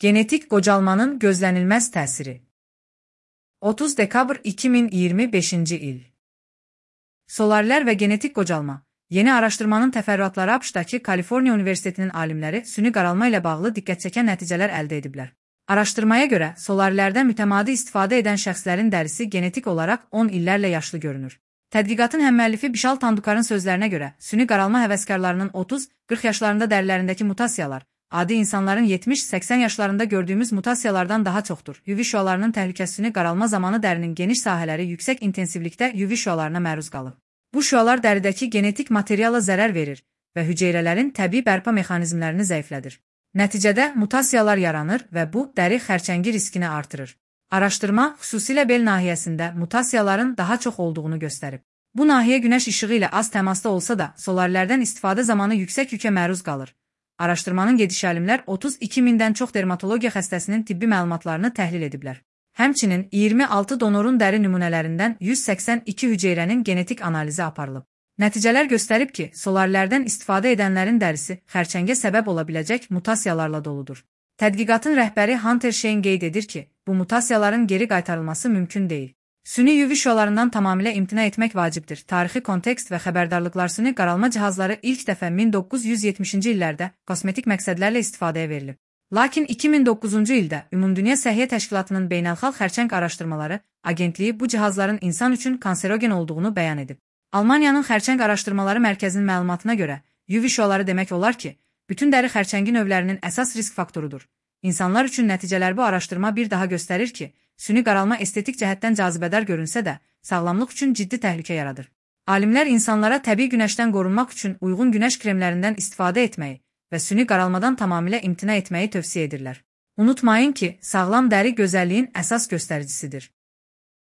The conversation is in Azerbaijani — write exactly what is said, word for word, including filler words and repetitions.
Genetik qocalmanın gözlənilməz təsiri. otuz dekabr iki min iyirmi beşinci il. Solarilər və genetik qocalma. Yeni araşdırmanın təfərrüatları ABŞ-dakı Kaliforniya Universitetinin alimləri süni qaralma ilə bağlı diqqətçəkən nəticələr əldə ediblər. Araşdırmaya görə, solarlərdən mütəmadi istifadə edən şəxslərin dərisi genetik olaraq on illərlə yaşlı görünür. Tədqiqatın həmməlifi Bişal Tandukarın sözlərinə görə, süni qaralma həvəskarlarının otuz qırx yaşlarında dərilərindəki mutasiyalar, adi insanların yetmiş səksən yaşlarında gördüyümüz mutasiyalardan daha çoxdur. U V şüalarının təhlükəsini qaralma zamanı dərinin geniş sahələri yüksək intensivlikdə U V şüalarına məruz qalır. Bu şüalar dəridəki genetik materiala zərər verir və hüceyrələrin təbii bərpa mexanizmlərini zəiflədir. Nəticədə mutasiyalar yaranır və bu dəri xərçəngi riskini artırır. Araşdırma xüsusilə bel nahiyəsində mutasiyaların daha çox olduğunu göstərib. Bu nahiyə günəş işığı ilə az təmasda olsa da, solarlərdən istifadə zamanı yüksək yükə məruz qalır. Araşdırmanın gediş alimlər otuz iki mindən çox dermatologiya xəstəsinin tibbi məlumatlarını təhlil ediblər. Həmçinin iyirmi altı donorun dəri nümunələrindən yüz səksən iki hüceyrənin genetik analizi aparılıb. Nəticələr göstərib ki, solarlərdən istifadə edənlərin dərisi xərçəngə səbəb ola biləcək mutasiyalarla doludur. Tədqiqatın rəhbəri Hunter Shane qeyd edir ki, bu mutasiyaların geri qaytarılması mümkün deyil. Süni U V şüalarından tamamilə imtina etmək vacibdir. Tarixi kontekst və xəbərdarlıqlar süni qaralma cihazları ilk dəfə min doqquz yüz yetmişinci illərdə kosmetik məqsədlərlə istifadəyə verilib. Lakin iki min doqquzuncu ildə Ümumdünya Səhiyyə Təşkilatının Beynəlxalq Xərçəng Araşdırmaları Agentliyi bu cihazların insan üçün kanserogen olduğunu bəyan edib. Almaniyanın Xərçəng Araşdırmaları Mərkəzinin məlumatına görə, U V şüaları demək olar ki, bütün dəri xərçəngi növlərinin əsas risk faktorudur. İnsanlar üçün nəticələr bu araşdırma bir daha göstərir ki, süni qaralma estetik cəhətdən cazibədar görünsə də, sağlamlıq üçün ciddi təhlükə yaradır. Alimlər insanlara təbii günəşdən qorunmaq üçün uyğun günəş kremlərindən istifadə etməyi və süni qaralmadan tamamilə imtina etməyi tövsiyə edirlər. Unutmayın ki, sağlam dəri gözəlliyin əsas göstəricisidir.